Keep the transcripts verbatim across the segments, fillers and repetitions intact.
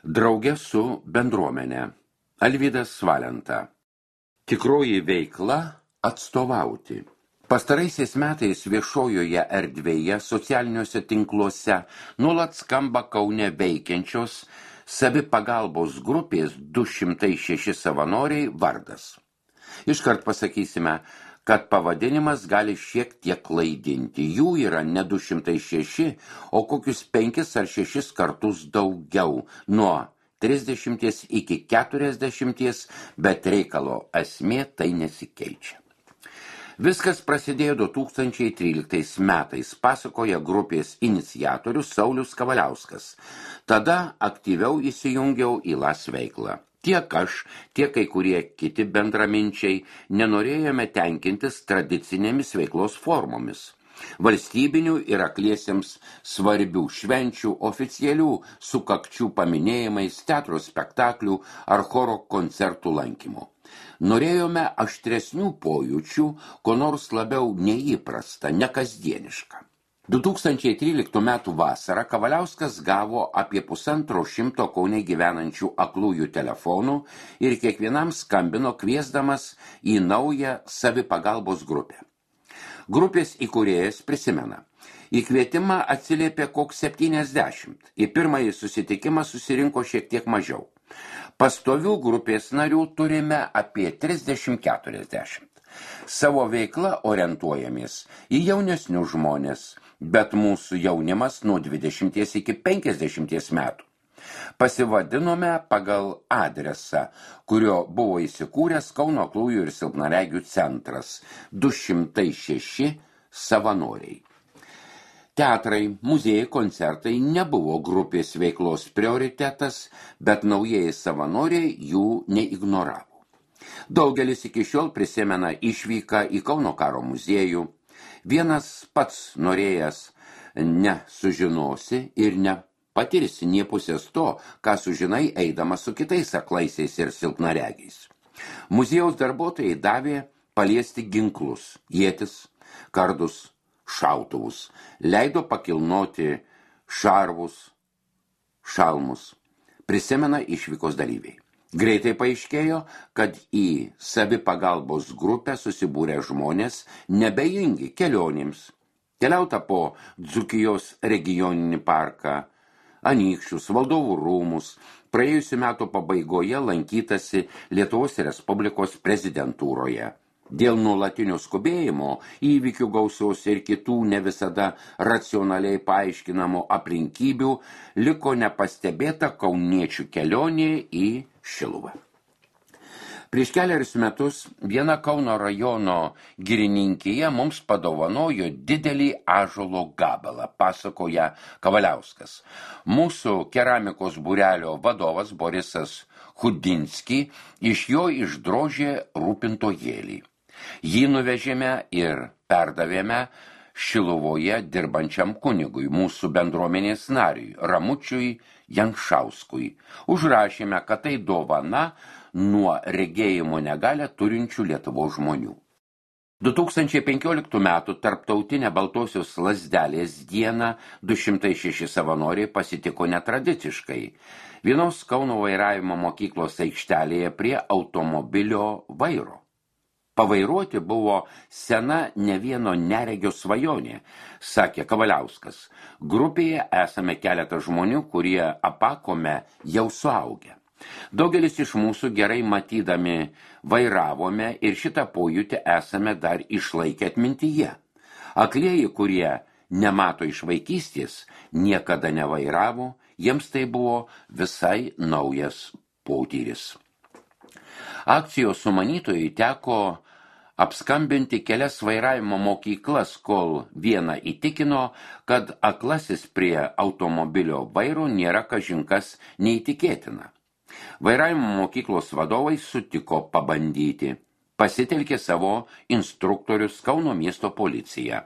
Drauge su bendruomenė. Alvydas Valenta. Tikroji veikla atstovauti. Pastaraisiais metais viešojoje erdvėje, socialiniuose tinkluose nuolat skamba Kaune veikiančios savipagalbos grupės du šimtai šeši savanoriai vardas. Iškart pasakysime, kad pavadinimas gali šiek tiek klaidinti. Jų yra ne du šimtai šeši, o kokius penkis ar šešis kartus daugiau, nuo trisdešimties iki keturiasdešimties, bet reikalo esmė tai nesikeičia. Viskas prasidėjo du tūkstančiai tryliktais metais, pasakoja grupės iniciatorius Saulius Kavaliauskas. Tada aktyviau įsijungiau į Las veiklą. Tiek aš, tiek kai kurie kiti bendraminčiai nenorėjome tenkintis tradicinėmis veiklos formomis. Valstybinių ir akliesiems svarbių švenčių, oficialių sukakčių paminėjimais, teatro spektaklių ar choro koncertų lankymo. Norėjome aštresnių pojūčių, ko nors labiau neįprasta, nekasdieniška. du tūkstančiai tryliktų metų vasarą Kavaliauskas gavo apie pusantro šimto Kaune gyvenančių aklųjų telefonų ir kiekvienam skambino kviesdamas į naują savipagalbos grupę. Grupės įkūrėjas prisimena. Į kvietimą atsiliepė koks septyniasdešimt. Į pirmąjį susitikimą susirinko šiek tiek mažiau. Pastovių grupės narių turime apie trisdešimt keturiasdešimt. Savo veiklą orientuojamės į jaunesnius žmonės, bet mūsų jaunimas nuo dvidešimties iki penkiasdešimties metų. Pasivadinome pagal adresą, kurio buvo įsikūręs Kauno aklųjų ir silpnaregių centras du šimtai šeši savanoriai. Teatrai, muziejai, koncertai nebuvo grupės veiklos prioritetas, bet naujieji savanoriai jų neignoravo. Daugelis iki šiol prisimena išvyką į Kauno karo muziejų. Vienas pats norėjęs nesužinosi ir nepatirsi nie pusės to, ką sužinai eidamas su kitais aklaisiais ir silpnaregiais. Muziejaus darbuotojai davė paliesti ginklus, ietis, kardus, šautuvus, leido pakilnoti šarvus, šalmus, prisimena išvykos dalyviai. Greitai paaiškėjo, kad į savipagalbos grupę susibūrę žmonės nebejingi kelionėms. Keliauta po Dzūkijos regioninį parką, Anykščius, Valdovų rūmus, praėjusių metų pabaigoje lankytasi Lietuvos Respublikos prezidentūroje. Dėl nuolatinio skubėjimo, įvykių gausos ir kitų ne visada racionaliai paaiškinamų aplinkybių liko nepastebėta kauniečių kelionė į Šiluvą. Prieš keliarius metus viena Kauno rajono girininkija mums padovanojo didelį ąžuolo gabalą, pasakoja Kavaliauskas. Mūsų keramikos būrelio vadovas Borisas Chudinski iš jo išdrožė rūpintojėlį. Jį nuvežėme ir perdavėme Šiluvoje dirbančiam kunigui, mūsų bendruomenės nariui, Ramučiui Janšauskui. Užrašėme, kad tai dovana nuo regėjimo negalią turinčių Lietuvos žmonių. du tūkstančiai penkioliktų metų tarptautinę Baltosios lazdelės dieną du šimtai šeši savanoriai pasitiko netradiciškai. Vienos Kauno vairavimo mokyklos aikštelėje prie automobilio vairo. Pavairuoti buvo sena ne vieno neregio svajonė, sakė Kavaliauskas. Grupėje esame keletą žmonių, kurie apakome jau suaugę. Daugelis iš mūsų gerai matydami vairavome ir šitą pojūtį esame dar išlaikę atmintyje. Aklieji, kurie nemato iš vaikystės, niekada nevairavo, jiems tai buvo visai naujas potyris. Akcijos sumanytojai teko apskambinti kelias vairavimo mokyklas, kol vieną įtikino, kad aklasis prie automobilio vairo nėra kažinkas neįtikėtina. Vairavimo mokyklos vadovai sutiko pabandyti. Pasitelkė savo instruktorius Kauno miesto policiją.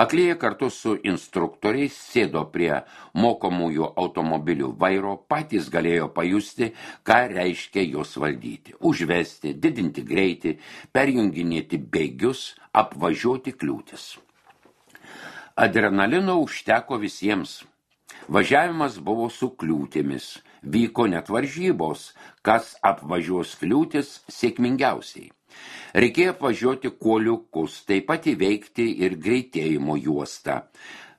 Aklieji kartu su instruktoriais sėdo prie mokomųjų automobilių vairo, patys galėjo pajusti, ką reiškia juos valdyti. Užvesti, didinti greitį, perjunginėti bėgius, apvažiuoti kliūtis. Adrenalino užteko visiems. Važiavimas buvo su kliūtimis. Vyko net varžybos, kas apvažiuos kliūtis sėkmingiausiai. Reikėjo apvažiuoti kuoliukus, taip pat įveikti ir greitėjimo juostą.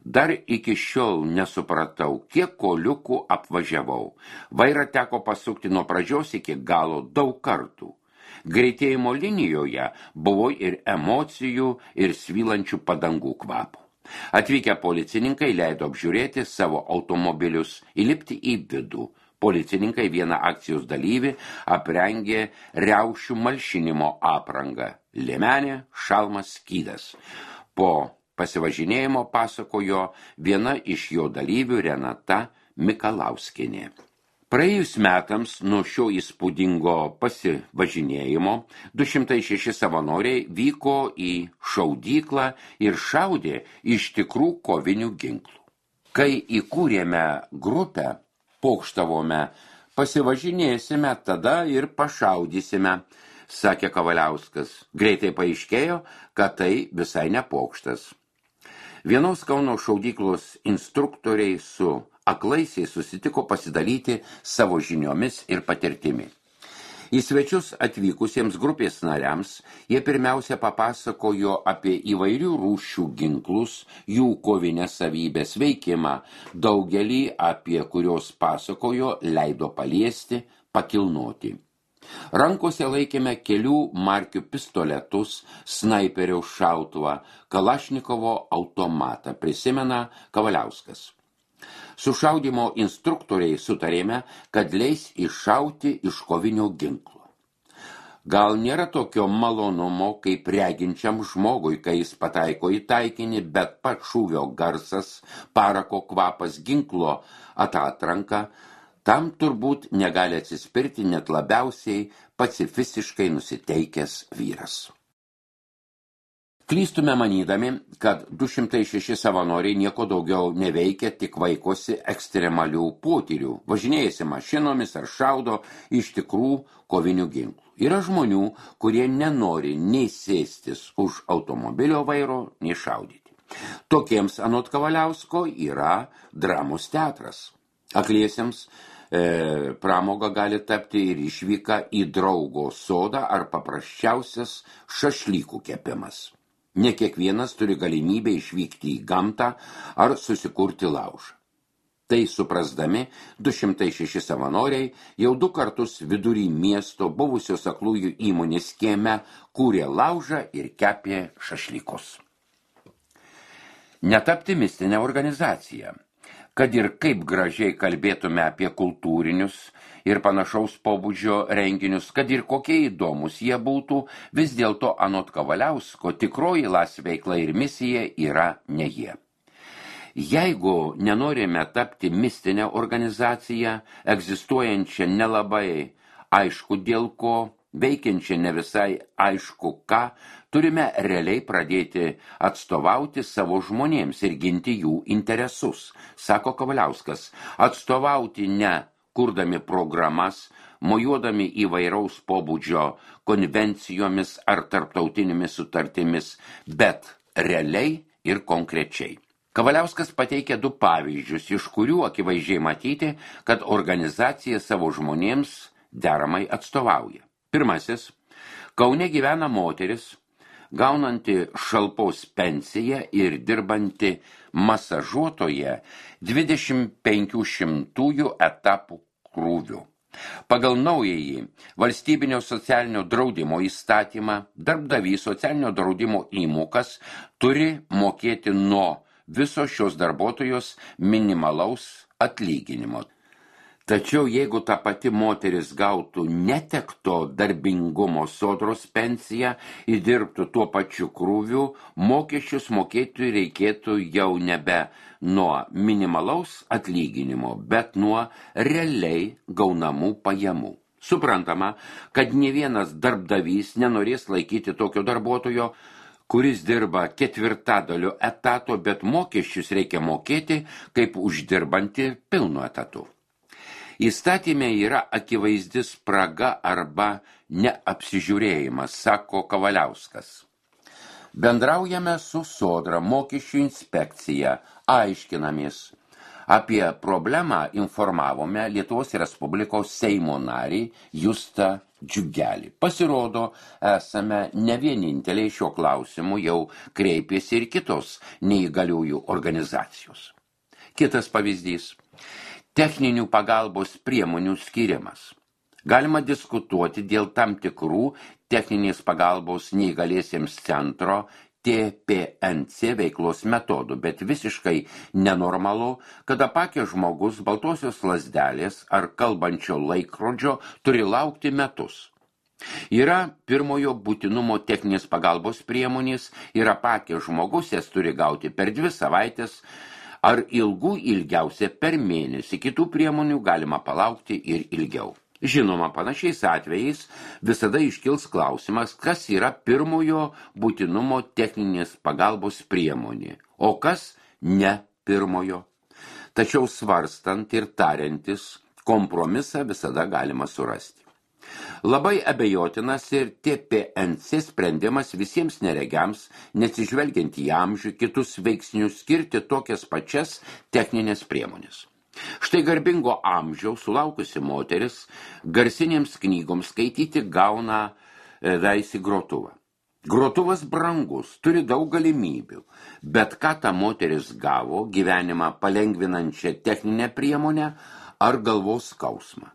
Dar iki šiol nesupratau, kiek kuoliukų apvažiavau. Vairą teko pasukti nuo pradžios iki galo daug kartų. Greitėjimo linijoje buvo ir emocijų, ir svylančių padangų kvapų. Atvykę policininkai leido apžiūrėti savo automobilius, įlipti į vidų. Policininkai vieną akcijos dalyvį aprengė riaušių malšinimo aprangą – liemenė, šalmas, skydas. Po pasivažinėjimo pasakojo viena iš jo dalyvių Renata Mikalauskienė. Praėjus metams nuo šio įspūdingo pasivažinėjimo du šimtai šeši savanoriai vyko į šaudyklą ir šaudė iš tikrų kovinių ginklų. Kai įkūrėme grupę, pokštavome, pasivažinėsime, tada ir pašaudysime, sakė Kavaliauskas. Greitai paaiškėjo, kad tai visai ne pokštas. Vienos Kauno šaudyklos instruktoriai su aklaisiai susitiko pasidalyti savo žiniomis ir patirtimi. Į svečius atvykusiems grupės nariams jie pirmiausia papasakojo apie įvairių rūšių ginklus, jų kovinės savybės veikimą, daugelį apie kurios pasakojo leido paliesti, pakilnoti. Rankose laikėme kelių markių pistoletus, snaiperio šautuvą, Kalašnikovo automatą, prisimena Kavaliauskas. Su šaudymo instruktoriai sutarėme, kad leis iššauti iš kovinio ginklo. Gal nėra tokio malonumo, kaip reginčiam žmogui, kai jis pataiko į taikinį, bet pats šūvio garsas, parako kvapas, ginklo atatranka, tam turbūt negali atsispirti net labiausiai pacifistiškai nusiteikęs vyras. Klystume manydami, kad du šimtai šeši savanoriai nieko daugiau neveikia, tik vaikosi ekstremalių potyrių, važinėjasi mašinomis ar šaudo iš tikrų kovinių ginklų. Yra žmonių, kurie nenori nei sėstis už automobilio vairo, nei šaudyti. Tokiems anot Kavaliausko yra dramos teatras. Akliesiems e, pramoga gali tapti ir išvyka į draugo sodą ar paprasčiausias šašlykų kepimas. Ne kiekvienas turi galimybę išvykti į gamtą ar susikurti laužą. Tai suprasdami, du šimtai šeši savanoriai jau du kartus vidury miesto buvusios aklųjų įmonės kieme kūrė laužą ir kepė šašlykus. Netapti mistinę organizaciją. Kad ir kaip gražiai kalbėtume apie kultūrinius ir panašaus pobūdžio renginius, kad ir kokie įdomus jie būtų, vis dėlto anot Kavaliausko tikroji las veikla ir misija yra ne jie. Jeigu nenorime tapti mistinę organizaciją, egzistuojančią nelabai aišku dėl ko, veikiančią ne visai aišku ką, turime realiai pradėti atstovauti savo žmonėms ir ginti jų interesus, sako Kavaliauskas. Atstovauti ne kurdami programas, mojuodami įvairaus pobūdžio konvencijomis ar tarptautinėmis sutartimis, bet realiai ir konkrečiai. Kavaliauskas pateikė du pavyzdžius, iš kurių akivaizdžiai matyti, kad organizacija savo žmonėms deramai atstovauja. Pirmasis, Kaune gyvena moteris, gaunanti šalpos pensiją ir dirbanti masažuotoje dvidešimt penkių šimtųjų etapų krūvių. Pagal naująjį valstybinio socialinio draudimo įstatymą darbdavys socialinio draudimo įmokas turi mokėti nuo viso šios darbuotojos minimalaus atlyginimo. Tačiau jeigu ta pati moteris gautų netekto darbingumo sodros pensiją ir dirbtų tuo pačiu krūviu, mokesčius mokėti reikėtų jau nebe nuo minimalaus atlyginimo, bet nuo realiai gaunamų pajamų. Suprantama, kad ne vienas darbdavys nenorės laikyti tokio darbuotojo, kuris dirba ketvirtadaliu etato, bet mokesčius reikia mokėti kaip uždirbanti pilnu etatu. Įstatyme yra akivaizdi spraga arba neapsižiūrėjimas, sako Kavaliauskas. Bendraujame su Sodra mokesčių inspekcija, aiškinamės, Apie problemą informavome Lietuvos Respublikos Seimo narį Justą Džiugelį. Pasirodo, esame ne vieninteliai šiuo klausimu jau kreipėsi ir kitos neįgaliųjų organizacijos. Kitas pavyzdys – techninių pagalbos priemonių skirimas. Galima diskutuoti dėl tam tikrų techninės pagalbos neįgaliesiems centro T P N C veiklos metodų, bet visiškai nenormalu, kad apakęs žmogus baltosios lazdelės ar kalbančio laikrodžio turi laukti metus. Yra pirmojo būtinumo techninės pagalbos priemonės ir apakęs žmogus jas turi gauti per dvi savaitės ar ilgų ilgiausia per mėnesį. Kitų priemonių galima palaukti ir ilgiau. Žinoma, panašiais atvejais visada iškils klausimas, kas yra pirmojo būtinumo techninės pagalbos priemonė, o kas ne pirmojo. Tačiau svarstant ir tariantis, kompromisą visada galima surasti. Labai abejotinas ir T P N C sprendimas visiems neregiams, neatsižvelgiant į amžių, kitus veiksnius skirti tokias pačias techninės priemonės. Štai garbingo amžiaus sulaukusi moteris garsinėms knygoms skaityti gauna veisi grotuvą. Grotuvas brangus, turi daug galimybių, bet ką ta moteris gavo gyvenimą palengvinančią techninę priemonę ar galvos skausmą?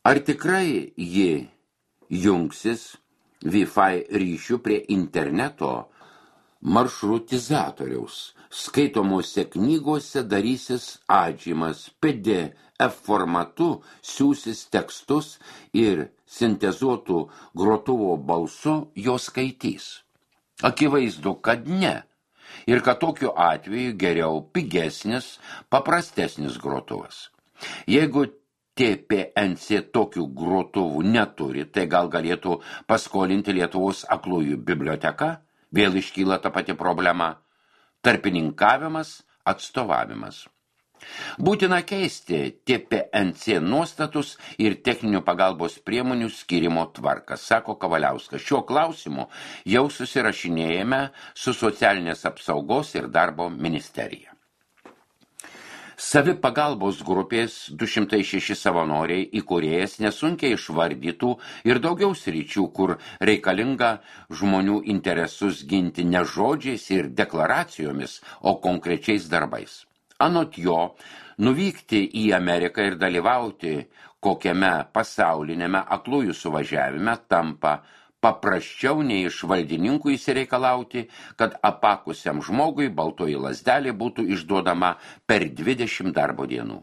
Ar tikrai ji jungsis Wi-Fi ryšių prie interneto maršrutizatoriaus, skaitomose knygose darysis atžymas, P D F formatu siūsis tekstus ir sintezuotų grotuvo balsu jos skaitys? Akivaizdu, kad ne. Ir kad tokiu atveju geriau pigesnis, paprastesnis grotuvas. Jeigu T P N C tokių grotuvų neturi, tai gal galėtų paskolinti Lietuvos aklųjų biblioteka? Vėl iškyla ta pati problema – tarpininkavimas, atstovavimas. Būtina keisti T P N C nuostatus ir techninių pagalbos priemonių skyrimo tvarką, sako Kavaliauskas. Šiuo klausimu jau susirašinėjame su socialinės apsaugos ir darbo ministerija. Savipagalbos grupės du šimtai šeši savanoriai įkūrėjas nesunkiai išvardytų ir daugiau sričių, kur reikalinga žmonių interesus ginti ne žodžiais ir deklaracijomis, o konkrečiais darbais. Anot jo, nuvykti į Ameriką ir dalyvauti kokiame pasaulinėme aklųjų suvažiavime tampa paprasčiau nei iš valdininkų įsireikalauti, kad apakusiam žmogui baltoji lazdelė būtų išduodama per dvidešimt darbo dienų.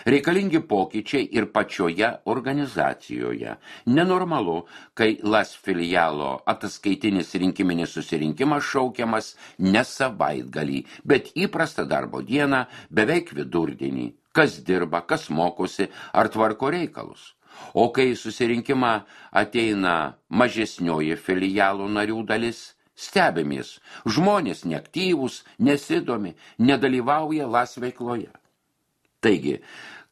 Reikalingi pokyčiai ir pačioje organizacijoje. Nenormalu, kai Las filialo ataskaitinis rinkiminis susirinkimas šaukiamas ne savaitgalį, bet įprastą darbo dieną beveik vidurdienį. Kas dirba, kas mokosi ar tvarko reikalus. O kai susirinkimą ateina mažesnioji filialų narių dalis, stebimės, žmonės neaktyvūs, nesidomi, nedalyvauja Las veikloje. Taigi,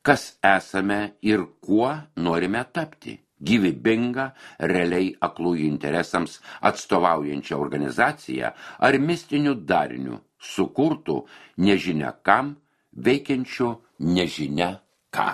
kas esame ir kuo norime tapti? Gyvybinga, realiai aklųjų interesams atstovaujančią organizaciją ar mistinių darinių sukurtų nežinia kam, veikiančių nežinia ką.